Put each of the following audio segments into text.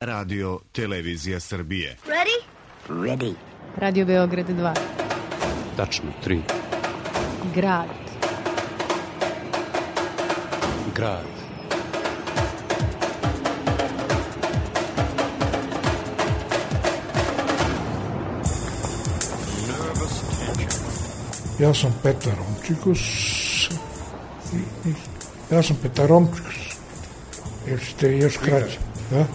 Radio Televizija Srbije. Ready? Ready. Radio Beograd 2. Tačno 3. Grad. Grad. Ja sam Petar Romčikus. Jer ste još kraće. Da?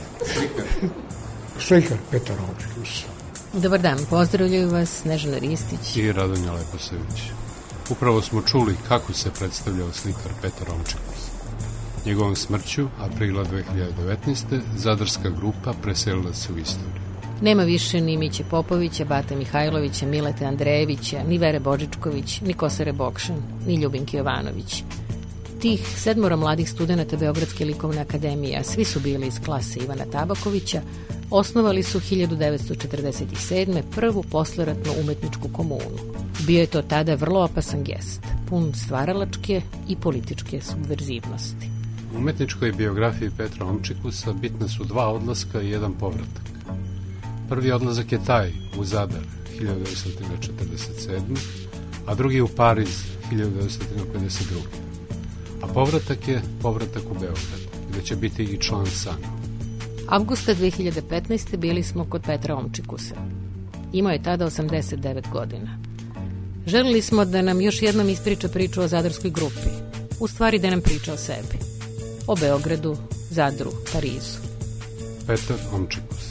Slikar Petar Romčikus. Dobar dan, pozdravljaju vas Snežana Ristić I Radonja Leposević. Upravo smo čuli kako se predstavljao slikar Petar Romčikus. Njegovom smrću, aprila 2019. Zadarska grupa preselila se u istoriju. Nema više ni Miće Popovića, Bate Mihajlovića, Milete Andrejevića, ni Vere Božičković, ni Kosare Bokšan, ni Ljubinke Jovanović. Tih 7 mladih studenata Beogradske likovne akademije, a svi su bili iz klase Ivana Tabakovića, osnovali su 1947. prvu posleratnu umetničku komunu. Bio je to tada vrlo opasan gest, pun stvaralačke i političke subverzivnosti. U umetničkoj biografiji Petra Romčikusa bitna su 2 odlaska i 1 povratak. Prvi odlazak je taj u Zadar 1947. a drugi u Pariz 1952. A povratak je povratak u Beograd, gde će biti i član SANU. Avgusta 2015. bili smo kod Petra Romčikusa. Imao je tada 89 godina. Želili smo da nam još jednom ispriča priču o zadarskoj grupi. U stvari da nam priča o sebi. O Beogradu, Zadru, Parizu. Petar Romčikus.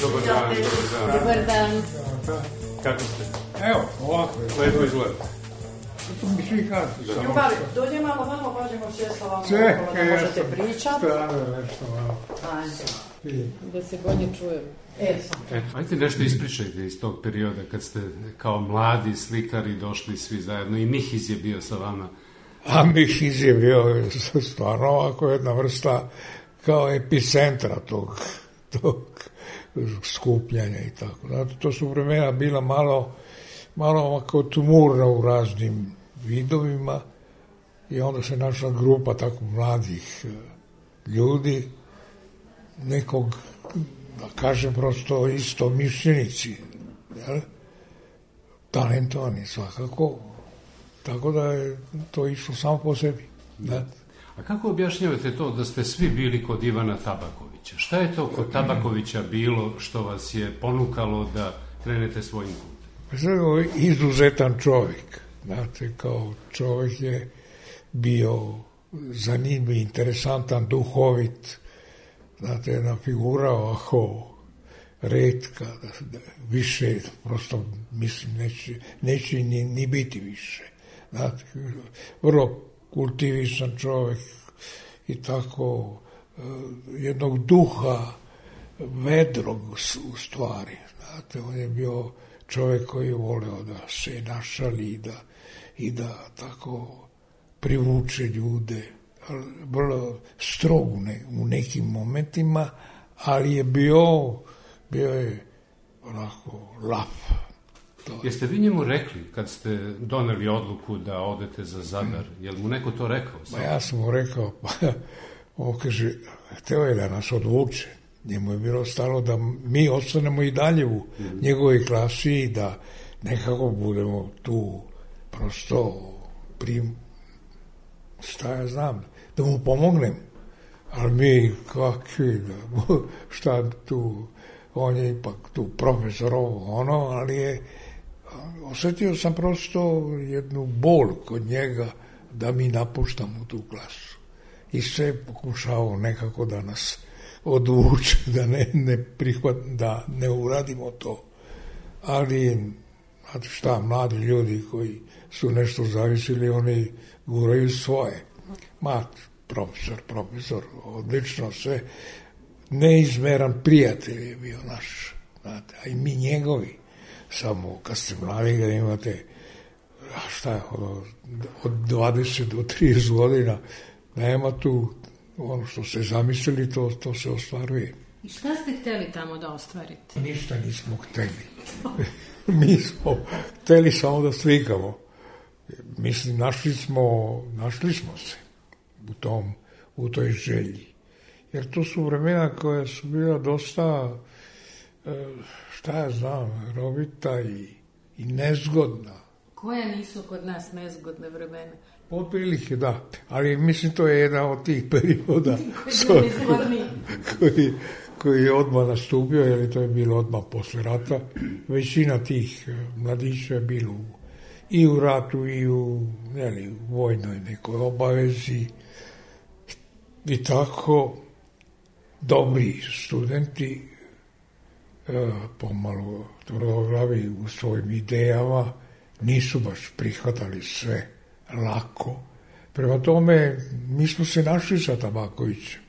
Dobar dan. Dobar dan. Kako ste? Evo, ovako. Lepo izgleda. To mi svi kažu. Ljubavi, dođe malo vamo, pa ćemo sjesti ovamo, da možete pričati. Strano nešto malo. Da se bolje čujem. Ajde nešto ispričajte iz tog perioda kad ste kao mladi slikari došli svi zajedno i Mihiz je bio sa vama. A Mihiz je bio stvarno ovako jedna vrsta kao epicentra tog skupljanja i tako. Zato to su vremena bila malo ovako tumurna u raznim vidovima i onda se našla grupa tako mladih ljudi, nekog, da kažem prosto isto mišljenici, jel? Talentovani svakako, tako da je to išlo samo po sebi. Da. A kako objašnjavate to da ste svi bili kod Ivana Tabakovića? Šta je to kod Tabakovića bilo što vas je ponukalo da krenete svojim putem? Izuzetan čovjek. Znate, kao čovjek je bio zanimljiv, interesantan, duhovit. Znate, jedna figura ovako retka, više, prosto mislim, neće ni biti više. Znate, vrlo kultivisan čovjek i tako jednog duha vedrog u stvari. Znate, on je bio čovjek koji je voleo da se našali i da tako privuče ljude. Vrlo strog u nekim momentima, ali je bio je onako lav. Jeste vi njemu rekli kad ste doneli odluku da odete za Zadar? Je li mu neko to rekao? Ja sam mu rekao, on kaže, hteo je da nas odvuče. Njemu je bilo stalo da mi ostanemo i dalje u njegovoj klasi i da nekako budemo tu prosto šta ja znam, da mu pomognem. Ali mi kakvi, šta tu, on je ipak tu profesor ali osjetio sam prosto jednu bol kod njega da mi napuštamo tu klasu. I sve pokušao nekako da nas odvuče, da da ne uradimo to. Ali, znate šta, mladi ljudi koji su nešto zavisili, oni guraju svoje. Profesor, odlično sve. Neizmeran prijatelj je bio naš, znate, a i mi njegovi. Samo kad ste mladi, da imate, od 20 do 30 godina, nema tu ono što ste zamislili, to se ostvaruje. I šta ste hteli tamo da ostvarite? Ništa nismo hteli. Mi smo hteli samo da slikamo. mislim, našli smo se u toj želji. Jer to su vremena koja su bila dosta, šta ja znam, rovita i nezgodna. Koja nisu kod nas nezgodne vremena? Otprilike, da. Ali mislim, to je jedan od tih perioda koji je odmah nastupio, jer to je bilo odmah posle rata. Većina tih mladića je bilo i u ratu i u vojnoj nekoj obavezi. I tako dobri studenti, pomalo tvrdoglavi u svojim idejama, nisu baš prihvatali sve lako. Prema tome, mi smo se našli sa Tabakovićem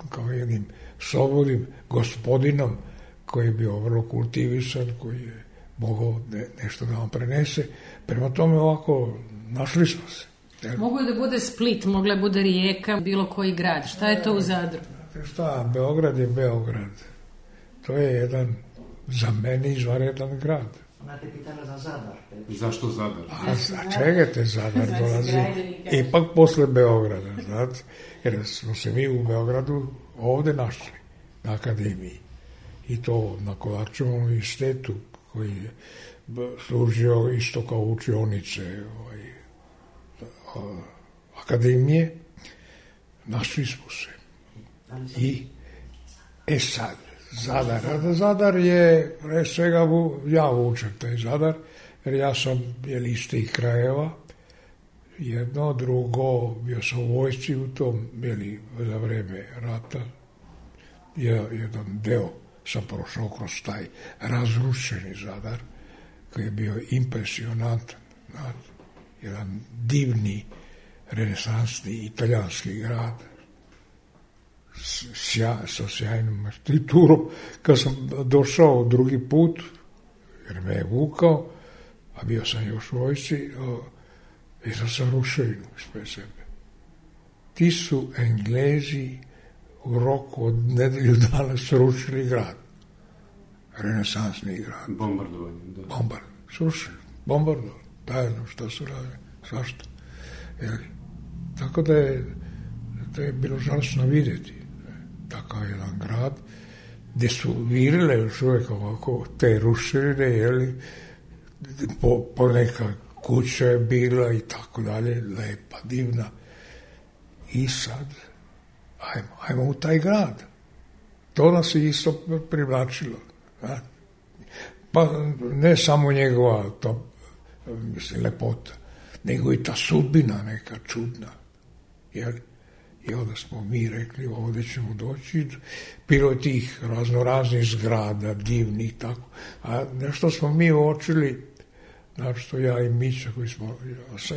kao jednim slobodnim gospodinom koji je bio vrlo kultivisan, koji je mogao nešto da vam prenese. Prema tome, ovako, našli smo se. Mogu je da bude Split, mogla je bude Rijeka, bilo koji grad. Šta je to u Zadru? Šta, Beograd je Beograd. To je jedan, za mene, izvanredan grad. Ona te pitala za Zadar. Zašto Zadar? A čekajte, Zadar dolazi ipak posle Beograda, znate, jer smo se mi u Beogradu ovde našli, na akademiji. I to na Kovačevom univerzitetu, koji je služio isto kao učionice akademije. Našli smo se. I, sad, Zadar je, pre svega, ja vučem taj Zadar, jer ja sam iz tih krajeva, jedno, drugo, bio sam u vojsci u tom, za vreme rata, jedan deo sam prošao kroz taj razrušeni Zadar, koji je bio impresionantan, jedan divni, renesansni italijanski grad, sa sjajnom arhitekturom. Kad sam došao drugi put, jer me je vukao, a bio sam još u vojsci, vidio sam ruševinu ispred sebe. Ti su Englezi u roku od nedelju dana srušili grad. Renesansni grad. Bombardovanje. Srušili. Bombardovanje. Tajno što su radili. Svašta. Tako da je bilo žalostno vidjeti takav jedan grad gdje su virile još uvijek ovako te ruševine, po neka kuća je bila i tako dalje, lepa, divna. I sad, ajmo u taj grad. To nas je isto privlačilo. Pa ne samo njegova lepota, nego i ta sudbina neka čudna. I onda smo mi rekli, ovdje ćemo doći. Bilo je tih raznoraznih zgrada, divnih, tako. A nešto smo mi uočili, znači ja i Mića,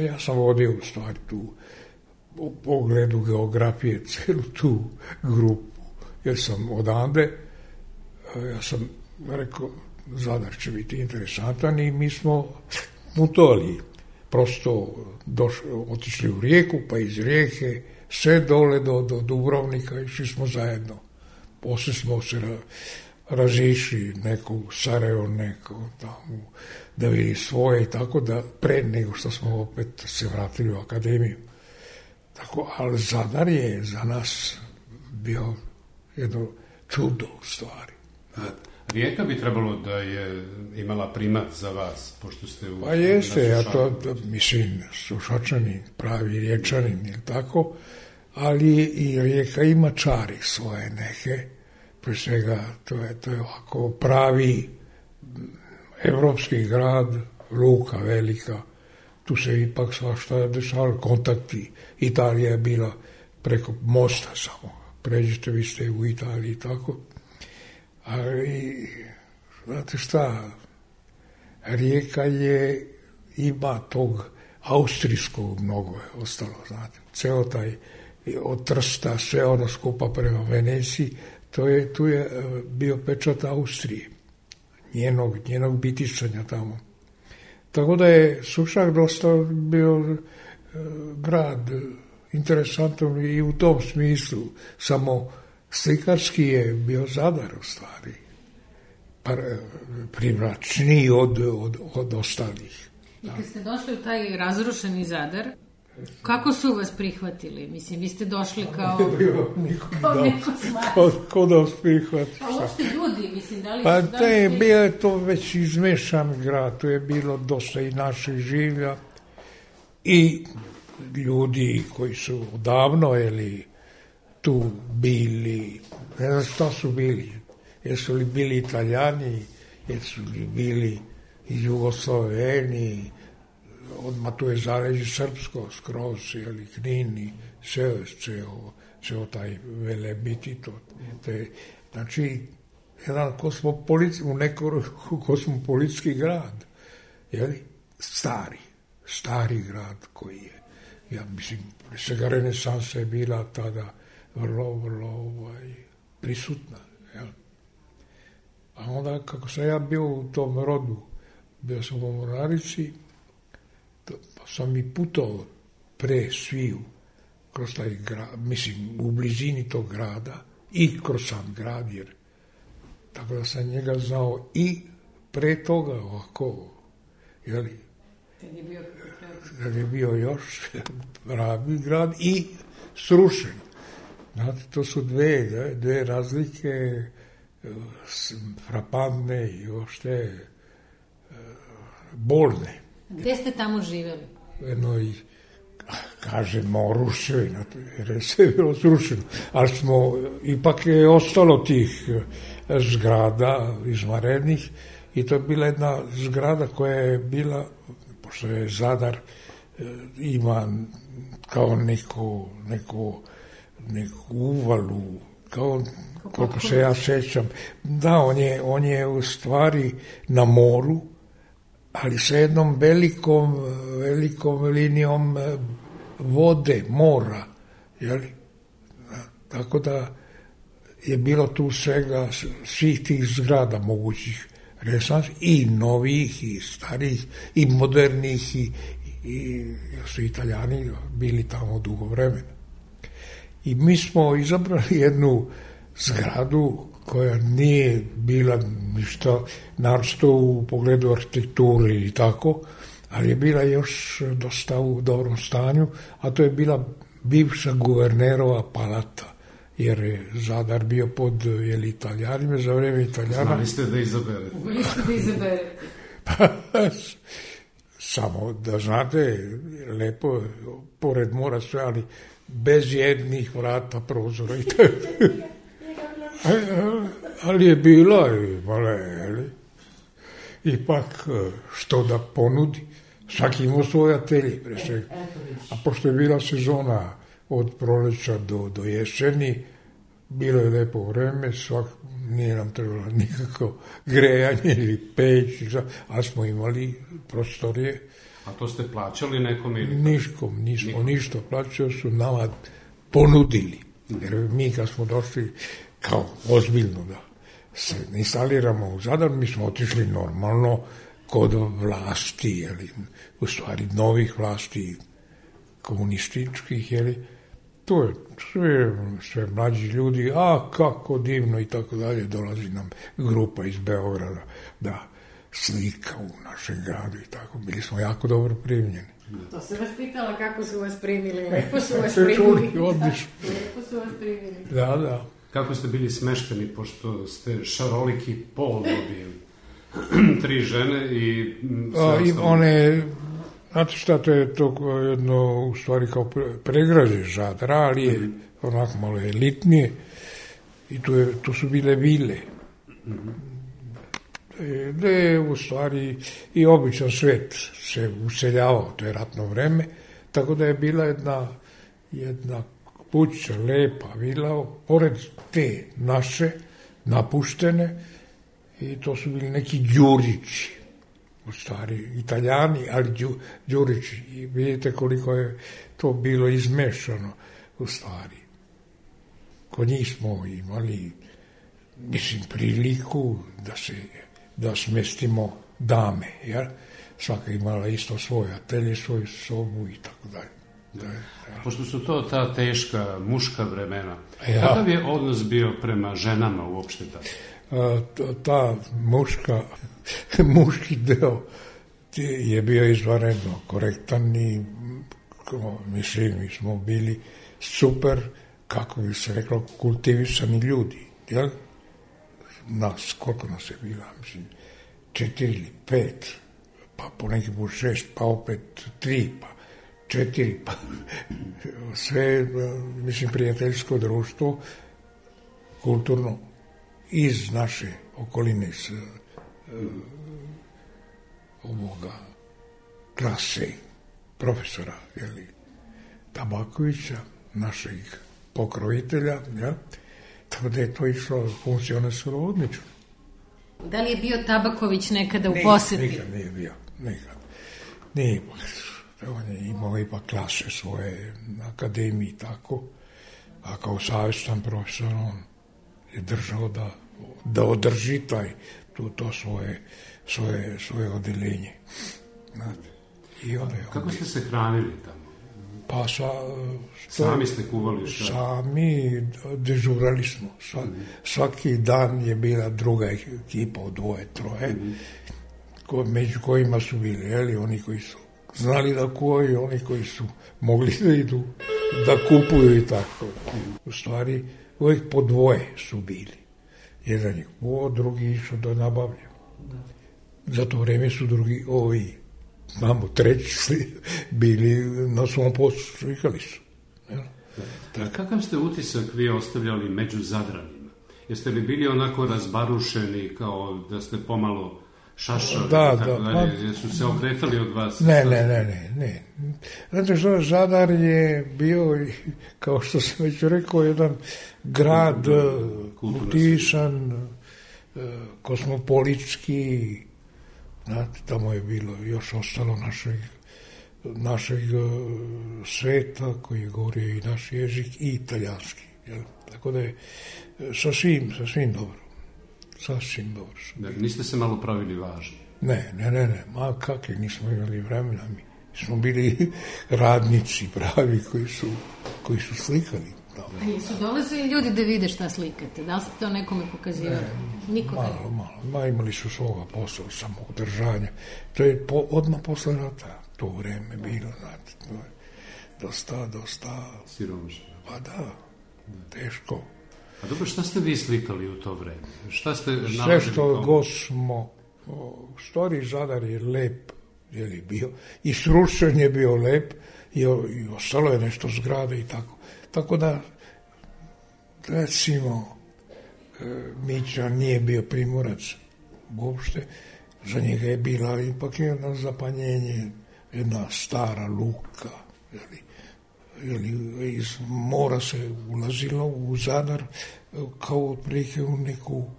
ja sam vodio u stvari tu, u pogledu geografije, celu tu grupu, jer sam odande, ja sam rekao, Zadar će biti interesantan i mi smo putovali, prosto otišli u Rijeku, pa iz Rijeke sve dole do Dubrovnika, išli smo zajedno. Posle smo se razišli, neko u Sarajevo, neko tamo da vidi svoje i tako da pre nego što smo opet se vratili u akademiju. Tako, ali Zadar je za nas bio jedno čudo u stvari. Rijeka bi trebalo da je imala primat za vas, pošto ste u... Pa jeste, ja to mislim, Sušačanin, pravi Riječanin, ili tako, ali i Rijeka ima čari svoje neke, pre svega to je ovako pravi evropski grad, luka velika, tu se ipak svašta dešavalo, kontakti, Italija je bila preko mosta samo, pređete, vi ste u Italiji i tako. Ali, znate šta, Rijeka ima tog austrijskog mnogo je ostalo, znate. Ceo taj, od Trsta, sve ono skupa prema Veneciji, tu je bio pečat Austrije, njenog bitisanja tamo. Tako da je Sušak dosta bio grad interesantan i u tom smislu, samo slikarski je bio Zadar u stvari, privlačniji od ostalih. I kad ste došli u taj razrušeni Zadar, kako su vas prihvatili? Mislim, vi ste došli kao neko smart. Ko da vas prihvati? Pa uopšte ljudi, mislim, da li Pa su... bio je to već izmešan grad, tu je bilo dosta i naših življa i ljudi koji su odavno tu bili, ne znam šta su bili, jesu li bili Italijani, jesu li bili Jugosloveni, odmah tu je zaleđe srpsko, skroz, Knin, ceo taj Velebit, znači, jedan kosmopolitski grad, stari grad koji je, ja mislim, svega renesansa je bila tada vrlo prisutna. A onda, kako sam ja bio u tom rodu, bio sam u Mornarici, pa sam i putovao pre sviju kroz taj grad, mislim, u blizini tog grada i kroz sam grad, jer tako da sam njega znao i pre toga ovako, kad je bio još pravi grad i srušen. Znate, to su dve razlike frapantne i ošte bolne. Gde ste tamo živjeli? Jednoj, kažemo, ruševina, jer je sve bilo srušeno, ali ipak je ostalo tih zgrada izvanrednih i to je bila jedna zgrada koja je bila, pošto je Zadar ima kao neku uvalu, kao koliko se ja sećam. Da, on je u stvari na moru, ali sa jednom velikom linijom vode, mora, tako da je bilo tu svih tih zgrada mogućih renesansa, i novih, i starih, i modernih, i su Italijani bili tamo dugo vremena. I mi smo izabrali jednu zgradu koja nije bila ništa naročito u pogledu arhitekture ili tako, ali je bila još dosta u dobrom stanju, a to je bila bivša guvernerova palata, jer je Zadar bio pod Italijanima, za vreme Italijana. Znali ste da izaberete. Samo da znate, lepo, pored mora sve, ali bez jednih vrata, prozora i tako. Ali je bila ipak što da ponudi. Svaki imao svoj atelje. A pošto je bila sezona od proleća do jeseni, bilo je lepo vreme, nije nam trebalo nikako grejanje ili peć, ali smo imali prostorije. A to ste plaćali nekom ili? Nismo ništa plaćali, su nama ponudili. Jer mi kad smo došli kao ozbiljno da se instaliramo u Zadar, mi smo otišli normalno kod vlasti, u stvari novih vlasti komunističkih, to je sve mlađi ljudi, a kako divno i tako dalje, dolazi nam grupa iz Beograda da slika u našem gradu i tako, bili smo jako dobro primljeni. To se vas pitala kako su vas primili, lepo su vas primili. Lepo su vas primili. Da. Kako ste bili smešteni, pošto ste šaroliki pol dobili? 3 žene i sve ostalo. Znate šta, to je to jedno, u stvari kao pregrađe Zadra, ali je onako malo elitnije i tu su bile vile. Gde je u stvari i običan svet se useljavao, to je ratno vreme, tako da je bila jedna kuća, lepa vila, pored te naše, napuštene, i to su bili neki Đurići, u stvari Italijani, ali Đurići. I vidite koliko je to bilo izmešano, u stvari. Kod njih smo imali, mislim, priliku da smestimo dame, jer svaka imala isto svoj atelje, svoju sobu i tako dalje. Pošto su to ta teška muška vremena, kakav je odnos bio prema ženama uopšte tada? Ta muški deo je bio izvanredno korektan i mislim, mi smo bili super, kako bi se reklo, kultivisani ljudi, jel? Nas, koliko nas je bilo, mislim, 4 ili 5, pa po neki put 6, pa opet 3, pa 4, pa sve, mislim, prijateljsko društvo, kulturno, iz naše okoline, iz ovoga klase profesora, jeli, Tabakovića, našeg pokrovitelja, ja? Tako da je to išlo, funkcionisalo odlično. Da li je bio Tabaković nekada u poseti? Nikad nije bio, nikad. Nije, on je imao ipak klase svoje na akademiji, tako, a kao savjestan profesor on je držao da održi to svoje odeljenje. Znate. I onda je kako ste se hranili tamo? Pa sami ste kuvali šta? Sami dežurali smo. Svaki dan je bila druga ekipa od 2, 3, među kojima su bili, jeli, oni koji su znali da kuvaju, oni koji su mogli da idu, da kupuju i tako. U stvari, uvijek po 2 su bili. Jedan je kuvao, drugi išao da nabavlja. Za to vreme su drugi, imamo 3 bili na svom poslu, slikali su. Kakav ste utisak vi ostavljali među Zadranima? Jeste li bili onako razbarušeni, kao da ste pomalo šašali? Da. Jesu se okretali od vas? Ne. Znate što, Zadar je bio, kao što sam već rekao, jedan grad kultivisan, kosmopolitski. Znate, tamo je bilo još ostalo našeg sveta koji je govorio i naš jezik i italijanski. Jel? Tako da je sasvim dobro. Sasvim dobro. Dakle, niste se malo pravili važni? Ne. Ma kakvi, nismo imali vremena mi. Smo bili radnici pravi koji su slikali. A jesu dolazili ljudi da vide šta slikate? Da li ste to nekome pokazivali? Malo. Imali su svoga posla, samoodržanja. To je odmah posle rata to vreme bilo, znate. To je dosta... siromašno. Pa da, teško. A dobro, šta ste vi slikali u to vreme? Šta ste nalazili? Sve što god smo... Stari Zadar je lep, je li bio. I srušen je bio lep i ostalo je nešto zgrade i tako. Tako da, recimo, Mića nije bio Primorac uopšte, za njega je bila ipak jedno zapanjenje, jedna stara luka, iz mora se ulazilo u Zadar kao otprilike u neku,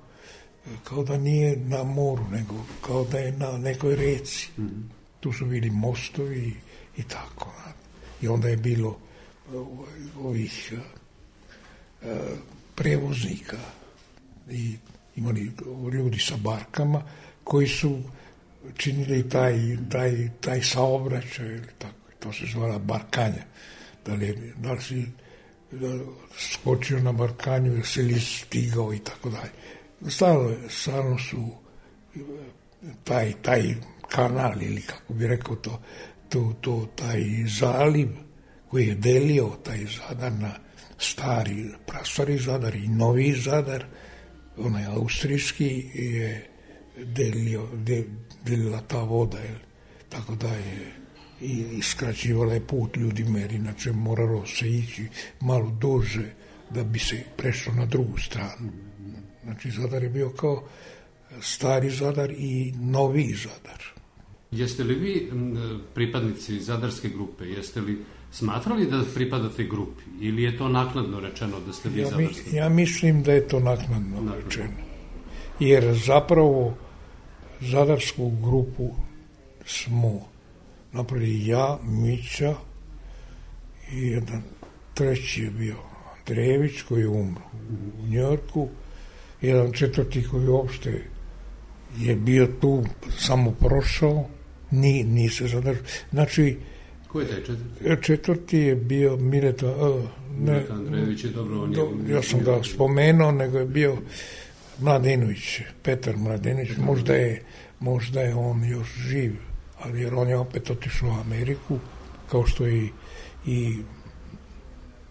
kao da nije na moru, nego kao da je na nekoj reci. Tu su bili mostovi i tako. I onda je bilo ovih prevoznika i imali ljudi sa barkama koji su činili taj saobraćaj ili tako. To se zvala barkanja. Da li si skočio na barkanju, da si li stigao i tako dalje. Stalno su taj kanal ili kako bi rekao taj zaliv koji je delio taj Zadar na prastari Zadar i novi Zadar, onaj austrijski je delila ta voda, tako da je i skraćivala je put ljudima, jer inače moralo se ići malo duže da bi se prešlo na drugu stranu. Znači Zadar je bio kao stari Zadar i novi Zadar. Jeste li vi pripadnici Zadarske grupe, jeste li smatrali da pripadate grupi ili je to naknadno rečeno da ste vi Zadarski? Ja mislim da je to naknadno rečeno. Jer zapravo Zadarsku grupu smo napravili ja, Mića i jedan treći je bio Andrejević koji je umro u Njorku, jedan četvrti koji uopšte je bio tu, samo prošao, nije se zadržao. Znači, ko je taj četvrti? Četvrti je bio Mileta Andrejević je dobro, ja sam ga spomenuo, nego je bio Mladenović, Petar Mladenović, možda je on još živ, ali jer on je opet otišao u Ameriku, kao što je i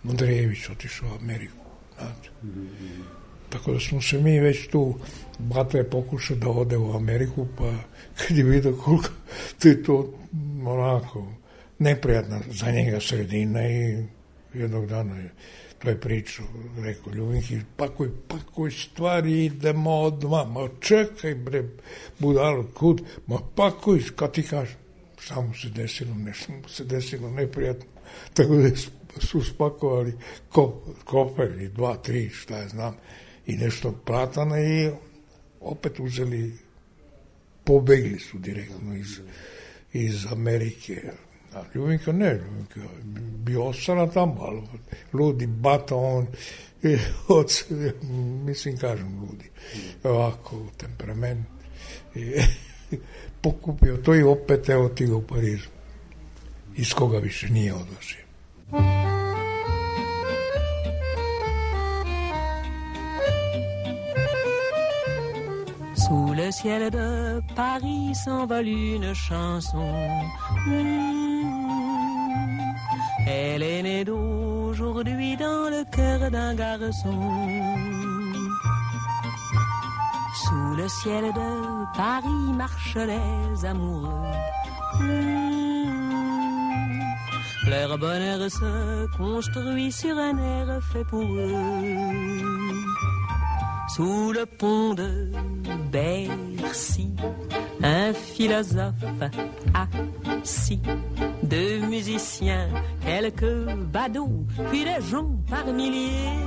Andrejević otišao u Ameriku, znate. Tako da smo se mi već tu, bata je pokušao da ode u Ameriku, pa kad je vidio koliko je to onako neprijatna za njega sredina i jednog dana je to je pričao, rekao Ljubinki, pakuj stvari, idemo odmah, ma čekaj bre, budalo, kud, ma pakuj, kad ti kažem, šta mu se desilo, nešto mu se desilo neprijatno, tako da su spakovali kofer i 2, 3, šta ja znam, i nešto platana i opet uzeli, pobegli su direktno iz Amerike. A Ljubinka ne, Ljubinka bi ostala tamo, ali ludi bata, on mislim, kažem ludi, ovako temperament, pokupio to i opet evo ti ga u Parizu, iz koga više nije odlazio. Sous le ciel de Paris s'envole une chanson. Elle est née d'aujourd'hui dans le cœur d'un garçon. Sous le ciel de Paris marchent les amoureux. Leur bonheur se construit sur un air fait pour eux. Sous le pont de Bercy, un philosophe assis, 2 musiciens, quelques badauds, puis des gens par milliers.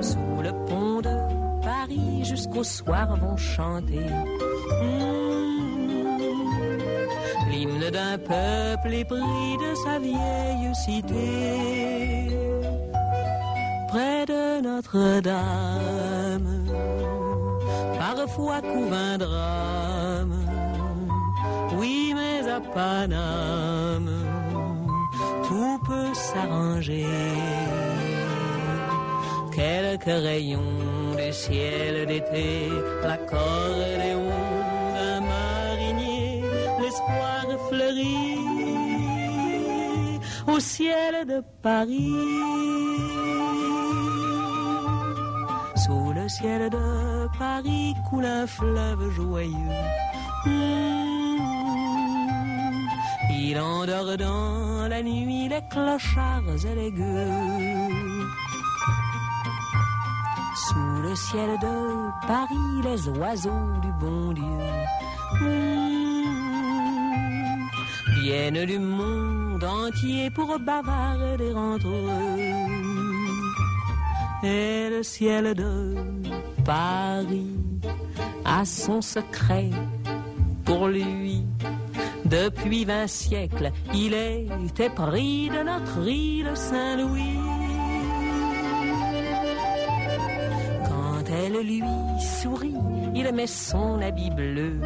Sous le pont de Paris, jusqu'au soir vont chanter l'hymne d'un peuple épris de sa vieille cité. Près de Notre-Dame, parfois couve un drame. Oui, mais à Paname, tout peut s'arranger. Quelques rayons du ciel d'été, l'accordéon d'un marinier, l'espoir fleurit au ciel de Paris. Sous le ciel de Paris coule un fleuve joyeux. Il endort dans la nuit les clochards et les gueux. Sous le ciel de Paris les oiseaux du bon Dieu viennent du monde entier pour bavarder entre eux. Et le ciel de Paris a son secret pour lui. Depuis 20 siècles, il est pris de notre île Saint-Louis. Quand elle lui sourit, il met son habit bleu.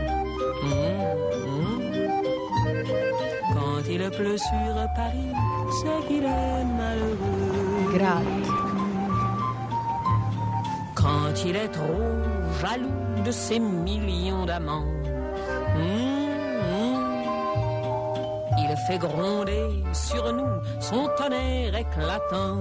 Quand il pleut sur Paris, c'est qu'il est malheureux. Grad. Quand il est trop jaloux de ses millions d'amants, il fait gronder sur nous son tonnerre éclatant.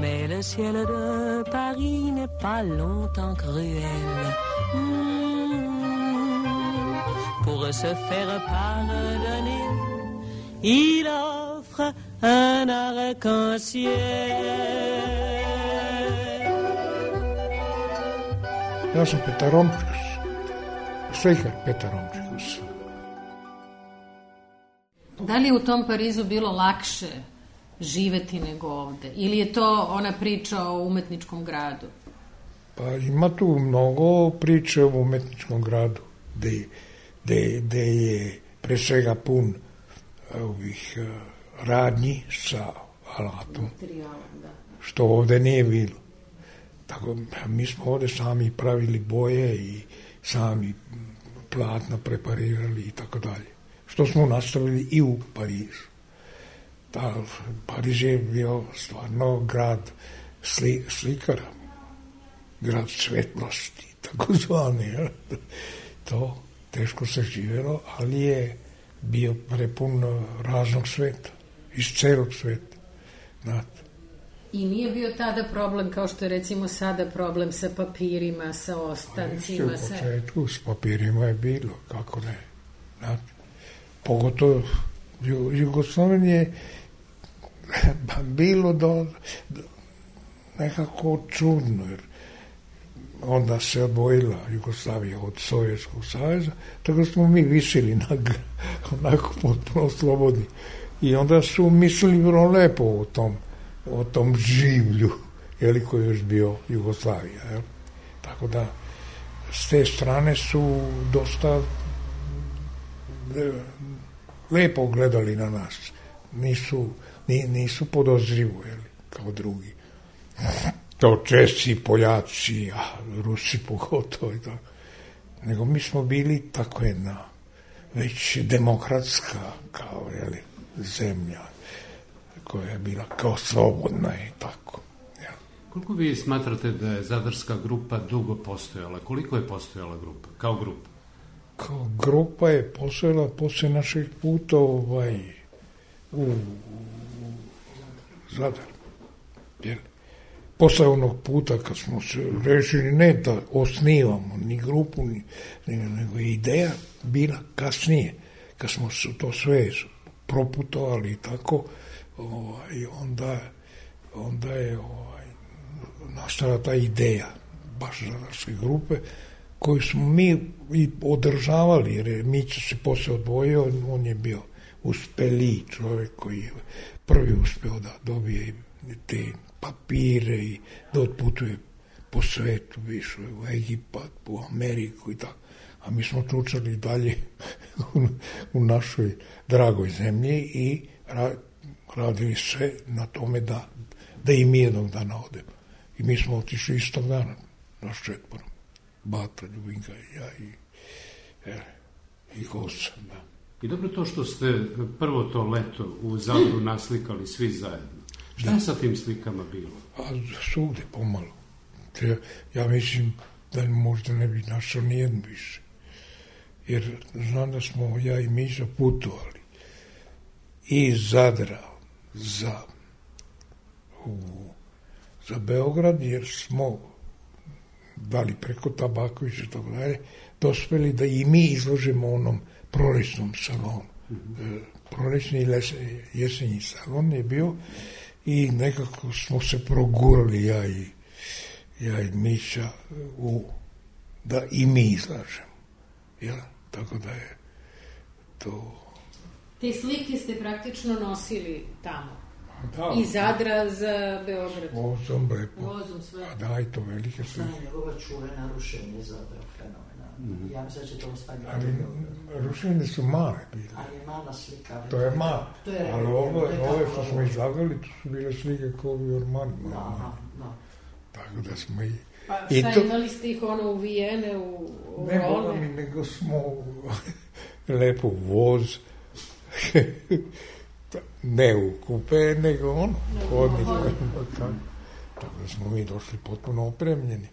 Mais le ciel de Paris n'est pas longtemps cruel. Pour se faire pardonner, il offre un arc-en-ciel. Ja sam Petar Romčikus, slikar Petar Romčikus. Da li je u tom Parizu bilo lakše živeti nego ovde? Ili je to ona priča o umetničkom gradu? Pa ima tu mnogo priče o umetničkom gradu, gde je pre svega pun ovih radnji sa alatom, što ovde nije bilo. Tako, mi smo ovde sami pravili boje i sami platna preparirali i tako dalje. Što smo nastavili i u Parizu. Pariz je bio stvarno grad slikara. grad svetlosti, tako zvani. To teško se živjelo, ali je bio prepun raznog sveta, iz celog sveta. Znate. I nije bio tada problem, kao što je recimo sada problem sa papirima, sa ostancima? U početku s papirima je bilo, kako ne. Znate. Pogotovo Jugoslavije bilo nekako čudno, jer onda se odvojila Jugoslavija od Sovjetskog saveza, tako smo mi visili onako potpuno slobodni. I onda su mislili vrlo lepo o tom življu, koji je još bio Jugoslavija. Jel? Tako da, s te strane su dosta lepo gledali na nas. Nisu podozrivo, kao drugi. To Česi, Poljaci, Rusi pogotovo i tako. Nego mi smo bili tako jedna već demokratska kao zemlja koja je bila kao slobodna i tako. Ja. Koliko vi smatrate da je Zadarska grupa dugo postojala? Koliko je postojala grupa, kao grupa? Kao grupa je postojala posle našeg puta u Zadar. Posle onog puta kad smo se rešili ne da osnivamo ni grupu, nego je ideja bila kasnije, kad smo to sve proputovali i tako, onda je nastala ta ideja baš Zadarske grupe, koju smo mi i održavali, jer Mića se posle odvojio, on je bio uspeliji čovjek koji je prvi uspeo da dobije te papire i da otputuje po svetu, više u Egipat, u Ameriku i tako. A mi smo čučali dalje u našoj dragoj zemlji i radili sve na tome da i mi jednog dana odemo. I mi smo otišli istog dana, naš četvorom. Bata, Ljubinka i ja i Gosa, da. I dobro to što ste prvo to leto u Zadru naslikali svi zajedno. Šta je sa tim slikama bilo? Svugde pomalo. Ja mislim da možda ne bi našao nijednu više. Jer znam da smo ja i Miša putovali iz Zadra za Beograd, jer smo dali preko Tabakovića i tako dalje, dospeli da i mi izložimo onom prolećnom salonu. Prolećni i jesenji salon je bio i nekako smo se progurali ja i Mića da i mi izlažemo. Ja? Tako da je to... Te slike ste praktično nosili tamo? Da. Iz Zadra za Beograd? Vozom, lepo. Vozom sve. A da, i to velike slike. Znam njegova čuvena rušenje Zadra, fenomenalno. Ja mislim da će to ostavljati. Ali rušenje su male bile. Ali je mala slika. To je mala. Ali ove što smo izlagali, to su bile slike kao u Jormanima. Da. Tako da smo i... Pa šta, imali ste ih uvijene u ne rolne? Ne mi, nego smo lepo voz, ne u kupe, nego hodnik. Tako da smo mi došli potpuno opremljeni.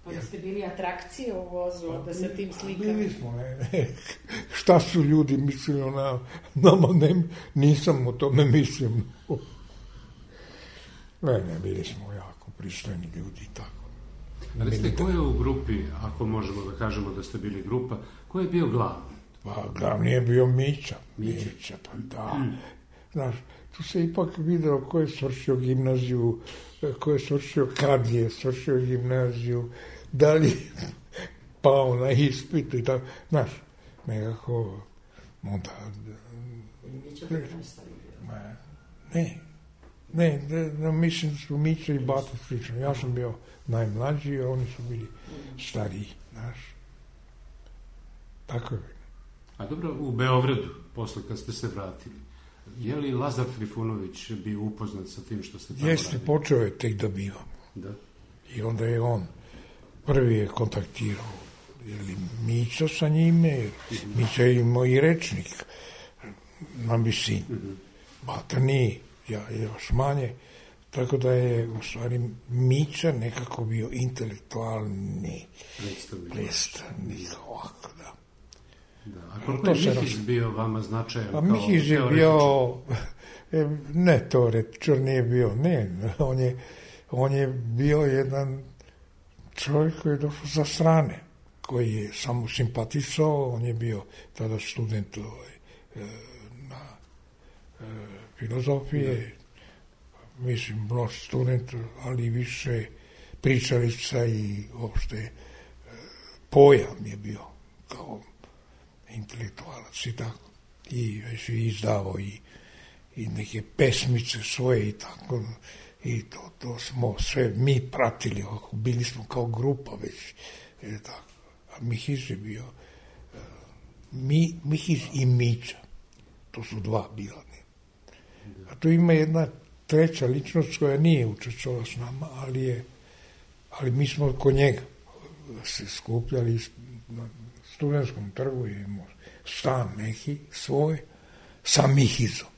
Pa da ste bili atrakcije u vozu, da sa tim slikama? Bili smo, ne. Šta su ljudi mislili o nama, nisam o tome mislio. Ne, bili smo jako pristojni ljudi i tako. Ali ste ko je u grupi, ako možemo da kažemo da ste bili grupa, ko je bio glavni? Pa glavni je bio Mića, pa da. Znaš, tu se ipak videlo ko je svršio gimnaziju, ko je svršio, kad je svršio gimnaziju, da li pao na ispitu i tako. Znaš, nekako, onda... Ne, mislim da su Mića i Bata slično. Ja sam bio najmlađi, a oni su bili stariji, znaš. Tako je. A dobro, u Beogradu, posle kad ste se vratili, je li Lazar Trifunović bio upoznat sa tim što ste tamo radili? Jeste, počeo je tek da bivam. Da. I onda je on prvi je kontaktirao Mića sa njime, jer Mića je imao i rečnik na visini. Bata nije, ja još manje, Tako da je u stvari Mića nekako bio intelektualni predstavnik ovako, da. A koliko je Mihić bio vama značajan kao teoretičar? Mihić je bio, ne teoretičar, nije bio, ne, on je bio jedan čovjek koji je došao sa strane, koji je samo simpatisao, on je bio tada student na filozofije, mislim, mlađi student, ali više pričalica i uopšte pojam je bio kao intelektualac i tako. I već je izdavao i neke pesmice svoje i tako. I to smo sve mi pratili, bili smo kao grupa već. Tako. A Mihić je bio Mihić i Mića. To su dva bila. A tu ima jedna treća ličnost koja nije učestvovala s nama, ali mi smo kod njega se skupljali na Studentskom trgu, imamo stan neki svoj sa Mihizom.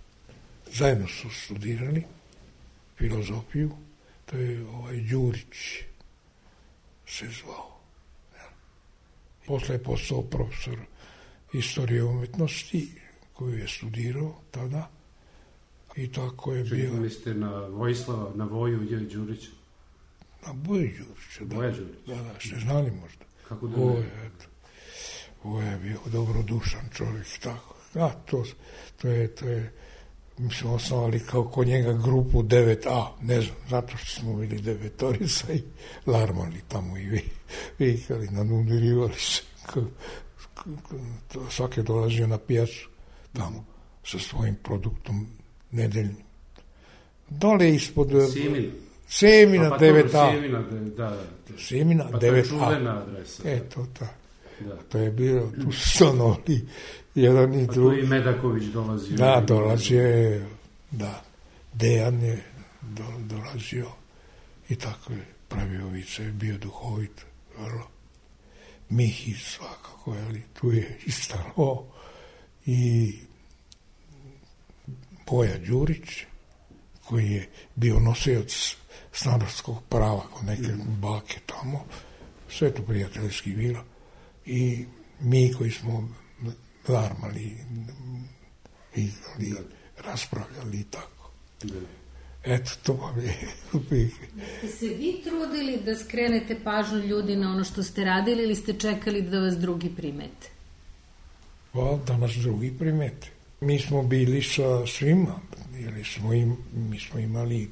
Zajedno su studirali filozofiju, to je Đurić se zvao. Posle je postao profesor istorije umetnosti koju je studirao tada. I tako je bio. Čekali ste na Voju Đurića? Na Boju Đurića, da. Boja Đurića? Da, ste znali možda. Kako da ne? Voja je bio dobrodušan čovjek, tako. A, to je, mi smo osnovali kao kod njega grupu 9A, ne znam, zato što smo bili devetorica i larmali tamo i vikali, nadumirivali se. Svaki je dolazio na pijacu tamo sa svojim produktom nedeljnim. Dole ispod Semina 9A. Semina 9A. Pa to je čuvena adresa. Eto, to je bilo, tu su stanovali jedan i drugi. Pa tu i Medaković dolazio. Da, dolazio je, da. Dejan je dolazio i tako je pravio vice, bio duhovit, vrlo. Mihić svakako, ali tu je i staro i Boja Đurić, koji je bio nosioc stanarskog prava kod neke bake tamo, sve to prijateljski bilo, i mi koji smo larmali i raspravljali i tako. Eto, to vam je. Ste se vi trudili da skrenete pažnju ljudi na ono što ste radili ili ste čekali da vas drugi primete? Da nas drugi primete. Mi smo bili sa svima, jer mi smo imali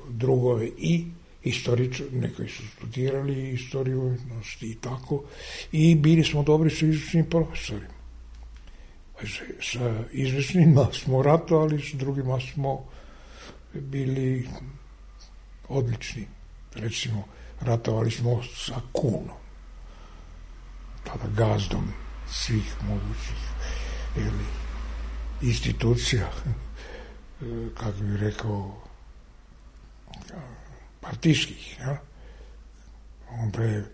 drugove i istoričari, neki su studirali istoriju umetnosti i tako, i bili smo dobri sa izvršnim profesorima. Sa izvršnima smo ratovali, s drugima smo bili odlični. Recimo, ratovali smo sa Kunom, tada gazdom svih mogućih institucija, kako bih rekao, partijskih. Ja? Onda je,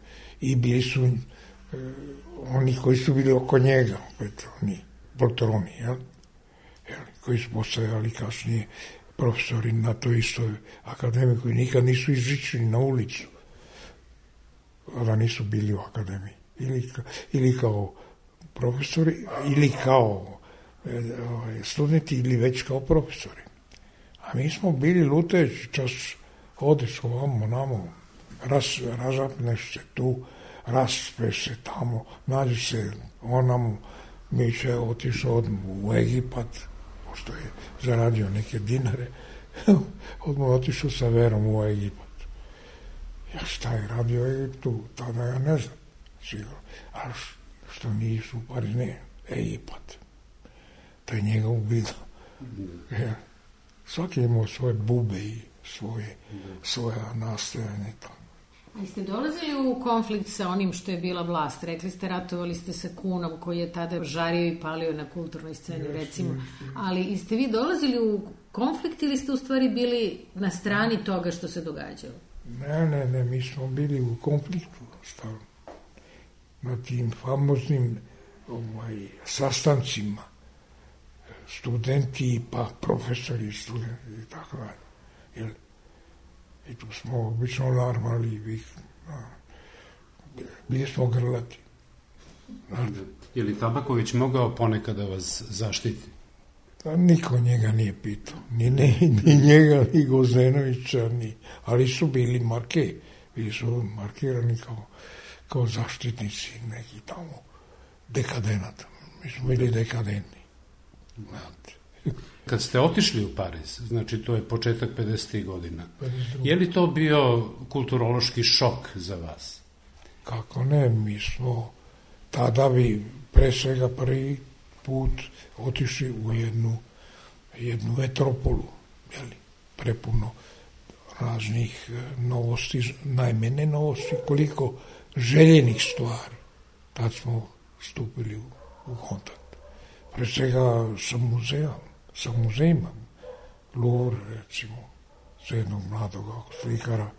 i bili su oni koji su bili oko njega, opet oni poltroni, koji su postajali kasnije profesori na toj istoj akademiji, koji nikad nisu izišli na ulicu, da nisu bili u akademiji. Ili kao profesori, ili kao studenti, ili već kao profesori. A mi smo bili lutajući čas, odeš ovamo, namo, razapneš se tu, raspeš se tamo, nađeš se onamo, mi će otišao odmah u Egipat, pošto je zaradio neke dinare, odmah otišao sa verom u Egipat. Ja šta je radio u Egiptu, tada ja ne znam, sigurno. A što nisu pari, ne, Egipat. To je njega ubilo. Ja. Svaki je imao svoje bube i svoja nastojanja. Jeste dolazili u konflikt sa onim što je bila vlast? Rekli ste, ratovali ste sa Kunom koji je tada žario i palio na kulturnoj sceni, recimo. Ali jeste vi dolazili u konflikt ili ste u stvari bili na strani toga što se događalo? Ne, mi smo bili u konfliktu stavno. Na tim famoznim sastancima studenti pa profesori studenti i tako dalje. I tu smo obično larmali, bili smo grlati. Je li Tabaković mogao ponekad da vas zaštiti? Niko njega nije pitao, ni njega, ni Gvozdenovića, ali su bili markirani kao zaštitnici neki tamo dekadenata. Mi smo bili dekadentni. Kad ste otišli u Pariz, znači to je početak 50. godina, je li to bio kulturološki šok za vas? Kako ne, mi smo tada bi pre svega prvi put otišli u jednu metropolu, prepuno raznih novosti, najmene novosti, koliko željenih stvari. Tad smo stupili u kontakt. Pre svega sa muzejima. Louvre, recimo, za jednog mladog slikara,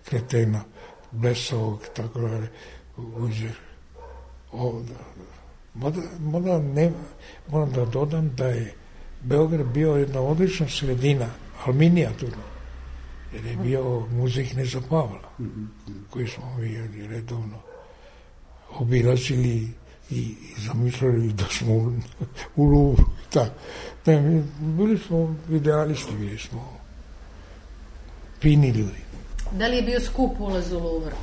kretena, blesavog, tako dalje, uzir. Moram da dodam da je Beograd bio jedna odlična sredina, ali minijaturna, jer je bio muzej Kneza Pavla, koji smo mi redovno obilazili i zamišljali da smo u Louvru. Bili smo idealisti, bili smo fini ljudi. Da li je bio skup ulaz u Louvre?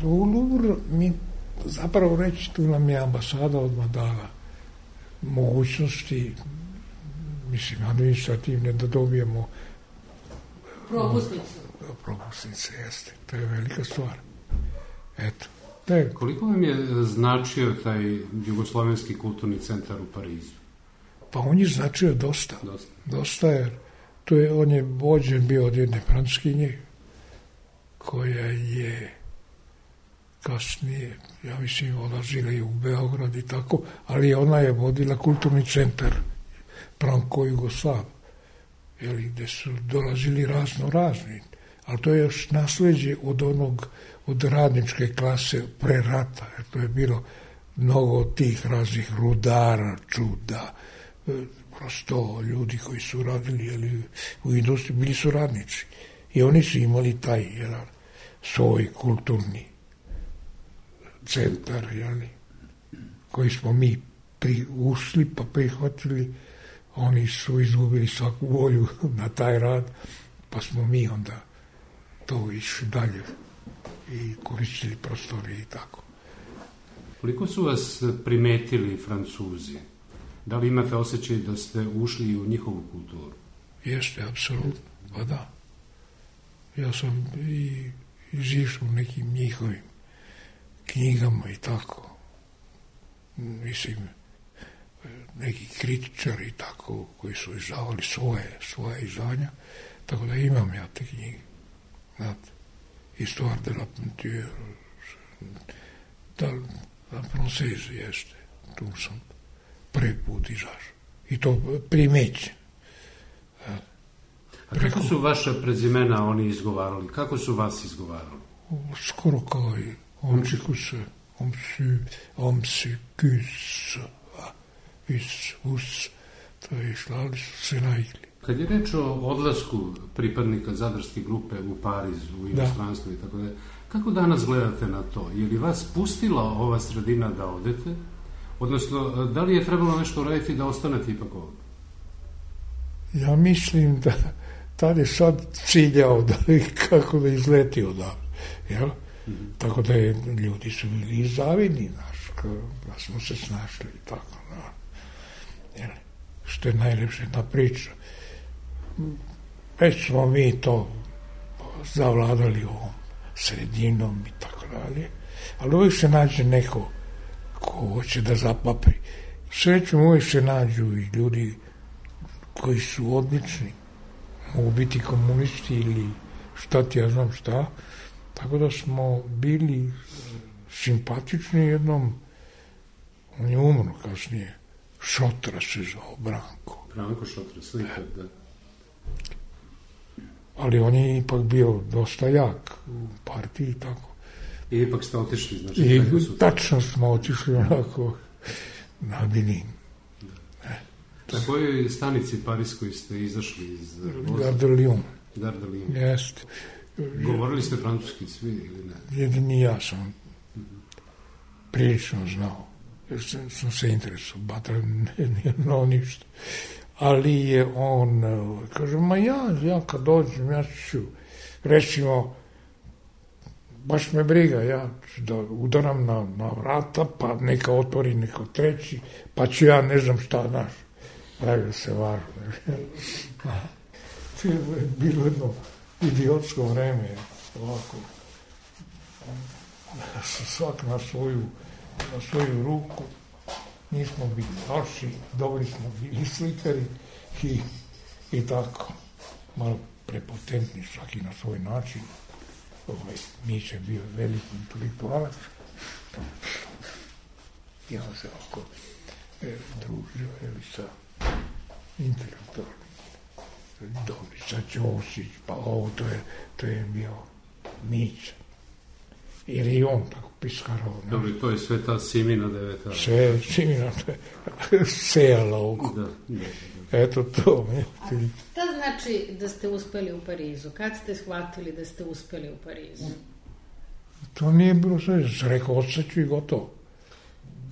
U Louvre mi zapravo reći, tu nam je ambasada odmah dala mogućnosti, mislim, administrativne, da dobijemo propusnice, jeste. To je velika stvar. Eto. Koliko vam je značio taj Jugoslovenski kulturni centar u Parizu? Pa on je značio dosta, jer on je vođen bio od jedne Francuskinje, koja je kasnije, ja mislim, odlazila i u Beograd i tako, ali ona je vodila kulturni centar Franko Jugoslav, gde su dolazili razni, ali to je još nasleđe od radničke klase pre rata, jer to je bilo mnogo tih raznih rudara, čuda, prosto ljudi koji su radili u industriji, bili su radnici. I oni su imali taj jedan svoj kulturni centar, koji smo mi ušli pa prihvatili. Oni su izgubili svaku volju na taj rad, pa smo mi onda to išli dalje i koristili prostore i tako. Koliko su vas primetili Francuzi? Da li imate osjećaj da ste ušli u njihovu kulturu? Jeste, apsolutno, pa da. Ja sam i izišao u nekim njihovim knjigama i tako. Mislim, neki kritičari i tako, koji su izdavali svoje izdanja, tako da imam ja te knjige. Znate, Histoire de la peinture, la Française, jeste. Tu sam prvi put izašao. I to primećen. A kako su vaša prezimena oni izgovarali? Kako su vas izgovarali? Skoro kao i Omčikus, Omsikus, Us, to je išlali su se naigli. Kad je reč o odlasku pripadnika zadarske grupe u Pariz, u inostranstvo i tako da, kako danas gledate na to? Je li vas pustila ova sredina da odete? Odnosno, da li je trebalo nešto uraditi da ostanete ipak ovdje? Ja mislim da tad je sad ciljao kako da izleti odavde, jel? Tako da ljudi su bili zavidni, da smo se snašli i tako, jel? Što je najlepša jedna priča. Već smo mi to zavladali ovom sredinom i tako dalje, ali uvijek se nađe neko ko hoće da zapapri. Srećom uvijek se nađu i ljudi koji su odlični, mogu biti komunisti ili šta ti ja znam šta, tako da smo bili simpatični jednom. On je umro kasnije, Šotra se zvao, Branko Šotra, slikar, da. Ali on je ipak bio dosta jak u partiji i tako. I ipak ste otišli, znači... I tačno smo otišli onako na Benin. Na kojoj stanici pariskoj ste izašli iz... Gare de Lyon. Gare de Lyon. Jeste. Govorili ste francuski svi ili ne? Jedini ja sam prilično znao. Sam se interesovao. Bata nije znao ništa. Ali je on, kaže, ma ja kad dođem, ja ću, recimo, baš me briga, ja ću da udaram na vrata, pa neka otvori neko treći, pa ću ja ne znam šta naš. Pravio se važno. To je bilo jedno idiotsko vreme, ovako. Svak na svoju ruku. Nismo bili loši, dobri smo bili slikari i tako. Malo prepotentni svaki na svoj način. Miće je bio veliki intelektualac. I on se oko družio sa intelektualnim. Dobrica Ćosić, pa ovo, to je bio Mića. Jer i on tako piskarao. Dobro, to je sve ta Simina deveta. Simina sejala oko. Eto to. Šta znači da ste uspeli u Parizu? Kad ste shvatili da ste uspeli u Parizu? To nije bilo sve. Rekao, odsaću i gotovo.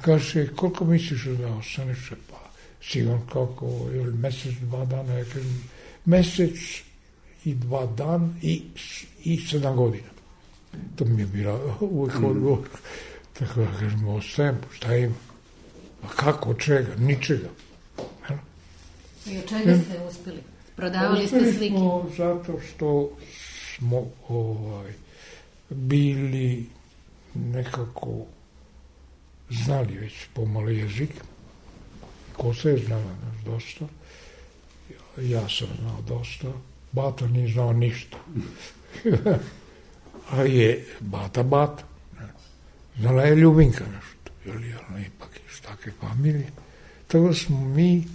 Kaže, koliko misliš da ostaneš? Pa, sigurno kako, ili mesec, 2 dana. Ja kažem, mesec i 2 dana i 7 godina. To mi je bila uvijek odgovor. Tako da kažem, ostajem, šta ima? A kako, od čega? Ničega. I od čega ste uspeli? Prodavali ste slike? Zato što smo bili nekako znali već pomalo jezik. Kosa je znala nas dosta. Ja sam znao dosta. Bata nije znao ništa. Ali je Bata. Znala je Ljubinka nešto. Ili ona ipak iz takve familije. Tako smo mi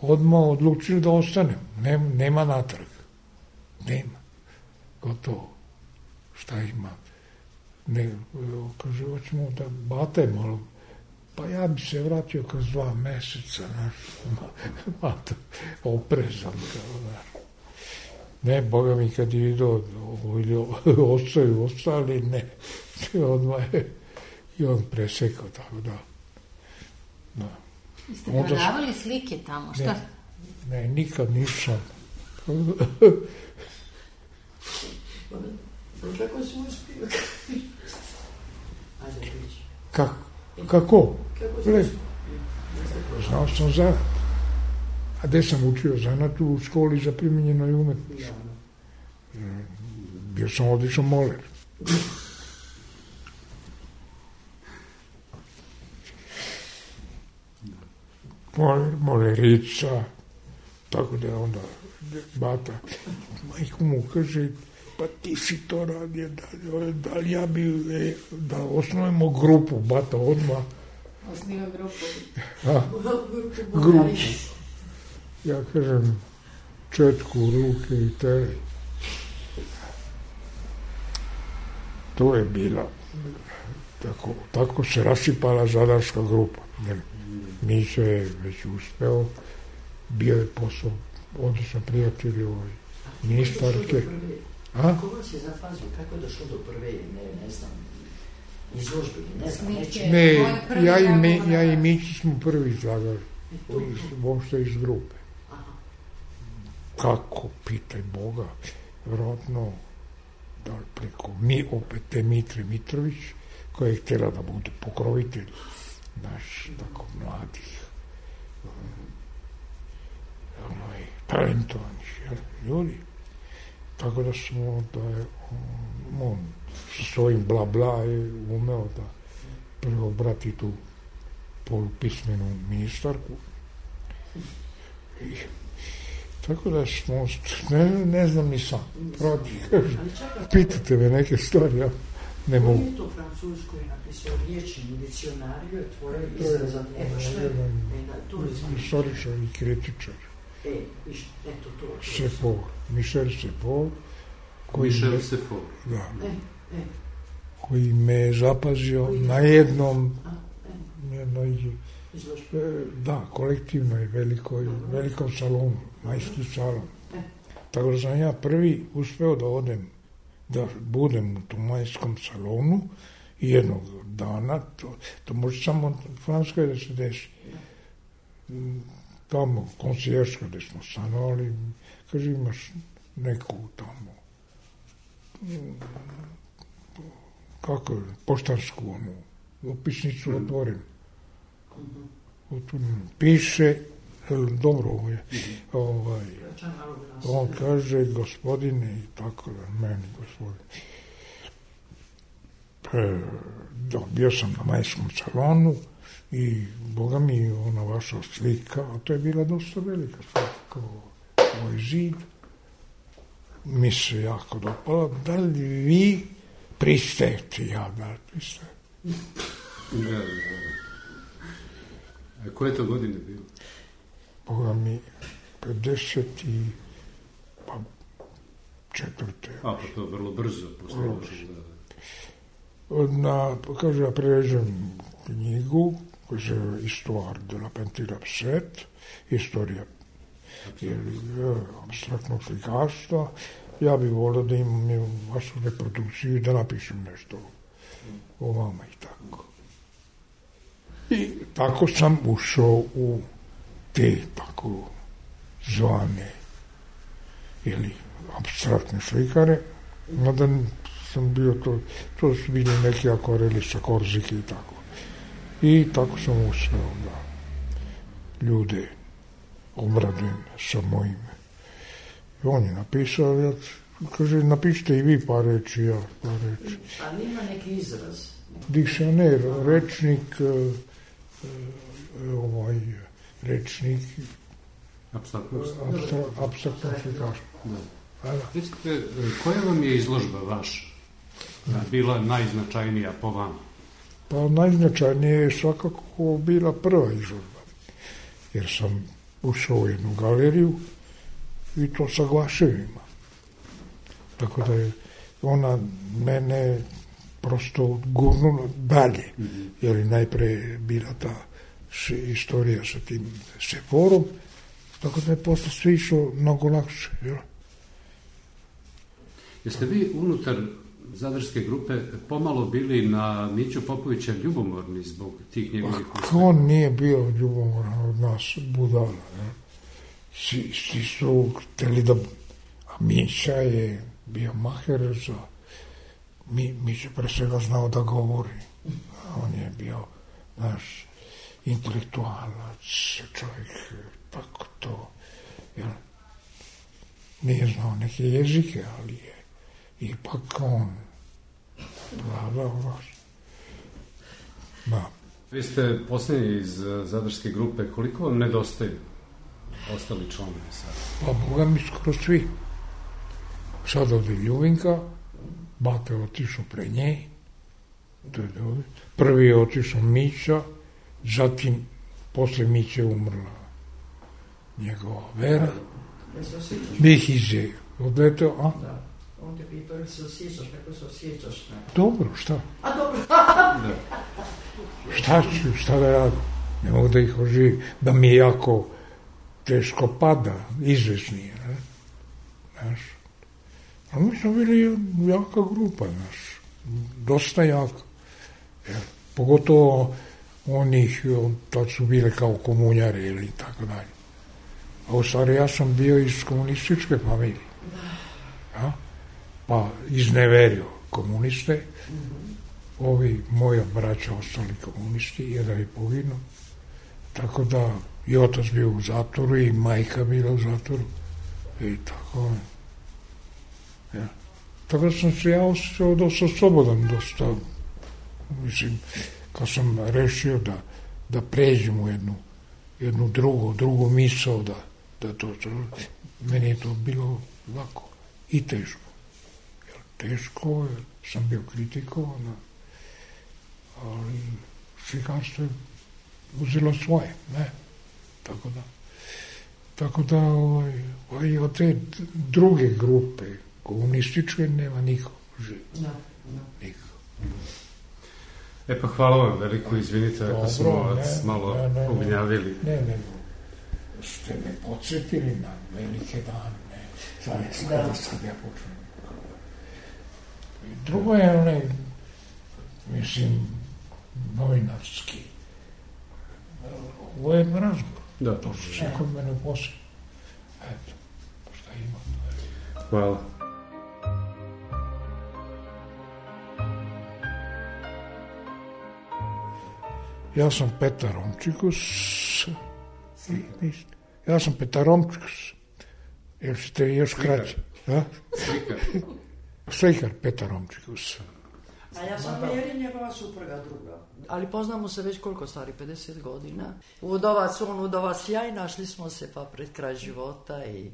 odmah odlučili da ostanemo. Nema natrag. Nema. Gotovo. Šta ima? Kaže, hoćemo da Bata je malo. Pa ja bi se vratio kroz 2 meseca. Bata oprezan. Ne, Boga mi kad je vidio ostali, ne. Odmah je i on presekao, tako da. Ste prodavali slike tamo, šta? Ne, nikad nisam. Kako si uspio? Ajde, priči. Kako? Kako si uspio? Znao sam zanat. A gde sam učio zanat? U školi za primijenjenoj umetnosti. Bio sam odličan moler. Molerica, tako da je onda Bata, majko mu kaže, pa ti si to radio, da li ja bi, da osnovimo grupu, Bata odmah. Osniva grupu. Grupu. Ja kažem, četku u ruke i teraj. To je bila, tako se rasipala zadarska grupa. Mića je već uspeo, bio je posao odličan prijatelj ministarke. Kako vas je zapazio? Kako je došlo do prve, ne znam, izložbe, ne znam, neće? Ne, ja i Mići smo prvi izlagali, uopšte iz grupe. Kako, pitaj Boga, vjerojatno, da li preko opet Mitre Mitrović, koja je htjela da bude pokrovitelj naš, tako mladih, talentovanih ljudi. Tako da smo, da je on sa svojim bla je umeo da preobrati tu polupismenu ministarku. Tako da smo, ne znam ni sam, pitate me neke stvari, ja ne mogu. Koji je to Francusko je napisao riječni diccionario, tvoje izraza, Istoričar i kritičar. Eto to. Sepaul, Michel Sepaul. Michel Sepaul. Da. Koji me je zapazio na jednoj, da, kolektivnoj velikom salonu, majski salon. Tako da sam ja prvi uspeo da odem da budem u tom majskom salonu i jednog dana, to može samo u Francuskoj da se desi. Tamo, konsijerška gde smo stanovali, kaže, imaš neku tamo, kako je, poštarsku onu, upisnicu otvorim. Piše, dobro je, on kaže, gospodine, i tako da, meni, gospodine. Bio sam na majskom salonu i, boga mi, ona vaša slika, a to je bila dosta velika slika, ovaj zid, mi se jako dopala, da li vi pristajete? Ja, da, pristajem. Da. A koje to godine bilo? Boga mi, 54. A, pa to vrlo brzo posle. Kaže, ja preređem knjigu, koja se zove Histoire de la peinture abstraite, istorija abstraktnog slikarstva. Ja bih volio da imam vašu reprodukciju i da napišem nešto o vama i tako. I tako sam ušao u te tako zvane ili abstraktne slikare, mada sam bio to su bili neki akvareli sa Korzike i tako. I tako sam uspeo da ljude obradujem sa mojim. I on je napisao, ja, kaže, napišite i vi par reči, ja par reči. A nima neki izraz? Dikcioner, rečnik, rečnik apstraktno slikarstvo. Recite, koja vam je izložba vaša bila najznačajnija po vama? Pa najznačajnija je svakako bila prva izložba, jer sam ušao u jednu galeriju i to sa glaševima. Tako da je ona mene prosto gurnula dalje, jer je najpre bila ta istorija sa tim Seforom, tako da je posle sve išlo mnogo lakše. Jel? Jeste vi unutar Zadarske grupe pomalo bili na Miću Popovića ljubomorni zbog tih njegovih uspjeha? On nije bio ljubomoran od nas, budala. Svi su hteli da... A Mića je bio maher za... Mića pre svega znao da govori. On je bio naš intelektualac, čovjek, tako to. Nije znao neke jezike, ali je ipak on vladao vas. Da. Vi ste posljednji iz Zadarske grupe. Koliko vam nedostaju ostali članovi sada? Pa Boga mi skoro svi. Sad ovdje Ljuvinka, bata je otišao pre nje, prvi je otišao Mića, zatim posle Miće je umrla njegova Vera. Bihize, odleteo, a? Da. On te pitao ili se osjećaš, kako se osjećaš? Dobro, šta? A dobro. Šta da radim? Ne mogu da ih oživim, da mi jako teško pada, izvesnije, ne? Znaš? A mi smo bili jaka grupa, znaš, dosta jaka. Pogotovo onih, tad su bile kao komunjare ili tako dalje. A u stvari ja sam bio iz komunističke familije. Ja? Pa izneverio komuniste. Ovi moja braća ostali komunisti, jedan je poginuo. Tako da i otac bio u zatvoru i majka bila u zatvoru. I tako. Ja. Tako da sam se ja osjećao dosta slobodan, dosta, mislim, kad sam rešio da pređem u jednu drugu misao, da to, meni je to bilo lako i teško. Teško, sam bio kritikovan, ali slikarstvo je uzelo svoje, ne? Tako da od te druge grupe komunističke nema nikog živi. Niko. Pa hvala vam veliko, izvinite ako smo vas malo ugnjavili. Ne, ste me podsjetili na velike dane, zaista da sad ja počnem. Drugo je onaj, mislim, novinarski. Ovo je razgovor. Da. To su sve kod mene posle. Eto, šta ima. Hvala. Ja sam Petar Romčikus. Ja sam Petar Romčikus. Jel ćete još kraće? Slikar Petar Romčikus. A ja sam Mjeri, njegova supruga druga. Ali poznamo se već koliko stari, 50 godina. Udova sjaj, našli smo se pa pred kraj života i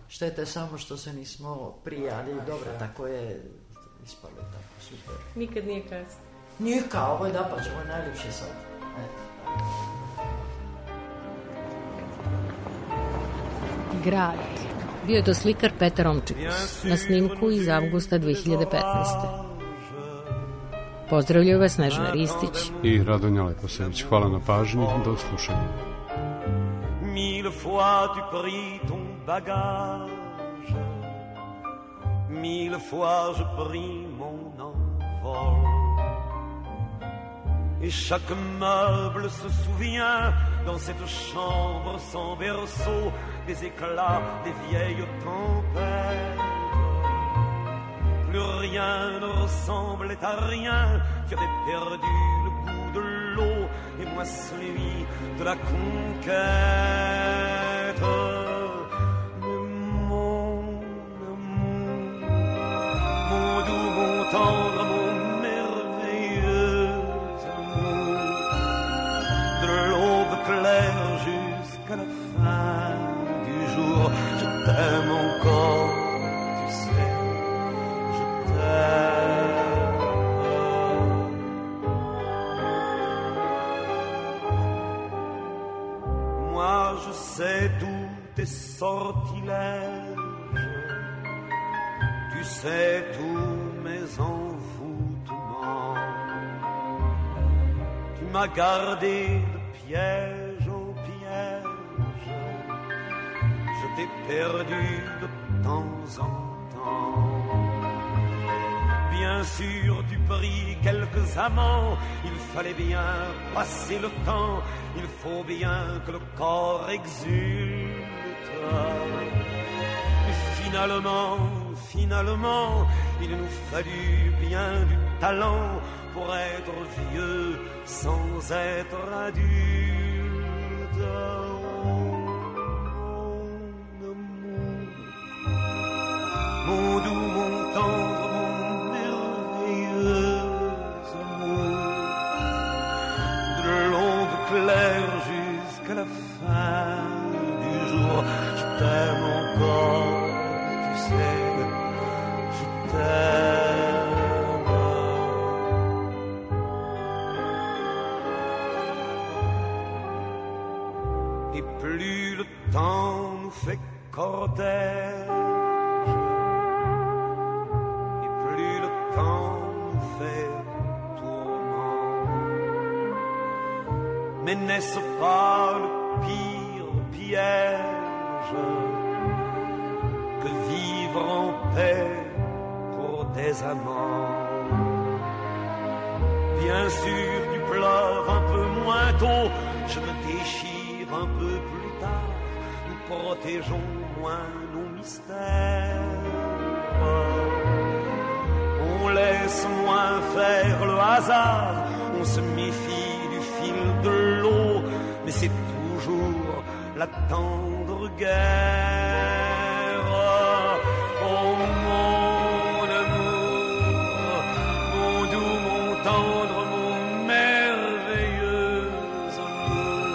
štete samo što se nismo prijali. Dobro, tako je ispalo tako, super. Nikad nije kasno. Nije kao, ovo je dapač, ovo je najljepši sad. Grad. Bio je to slikar Petar Romčikus na snimku iz avgusta 2015. Pozdravljaju vas Snežana Ristić i Radonja Leposević. Hvala na pažnji, do slušanja. Mille fois tu pris ton bagage, mille fois je pris mon envol, et chaque meuble se souvient dans cette chambre sans berceau des éclats des vieilles tempêtes. Plus rien ne ressemblait à rien, tu avais perdu le goût de l'eau et moi celui de la conquête. Mais mon amour, mon doux, mon tendre, mon merveilleux amour, de l'aube claire jusqu'à la fin du jour, je t'aime encore, tu sais. Moi je sais tous tes sortilèges, tu sais tous mes envoûtements, tu m'as gardé de piège en piège, je t'ai perdu de temps en temps. Bien sûr, tu pris quelques amants, il fallait bien passer le temps, il faut bien que le corps exulte. Et finalement, il nous fallut bien du talent pour être vieux sans être adulte. Mon doux, mon tendre, clair jusqu'à la fin du jour, je t'aime encore, tu sais, je t'aime. Et plus le temps nous fait cortège, et plus le temps nous fait tourment. Mais n'est-ce pas le pire piège que vivre en paix pour des amants? Bien sûr, tu pleures un peu moins tôt, je me déchire un peu plus tard, nous protégeons moins nos mystères. On laisse moins faire le hasard, on se méfie du fil de l'eau, mais c'est toujours la tendre guerre. Oh mon amour, mon doux, mon tendre, mon merveilleux amour,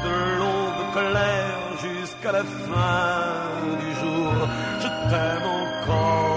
de l'aube claire jusqu'à la fin du jour, je t'aime encore.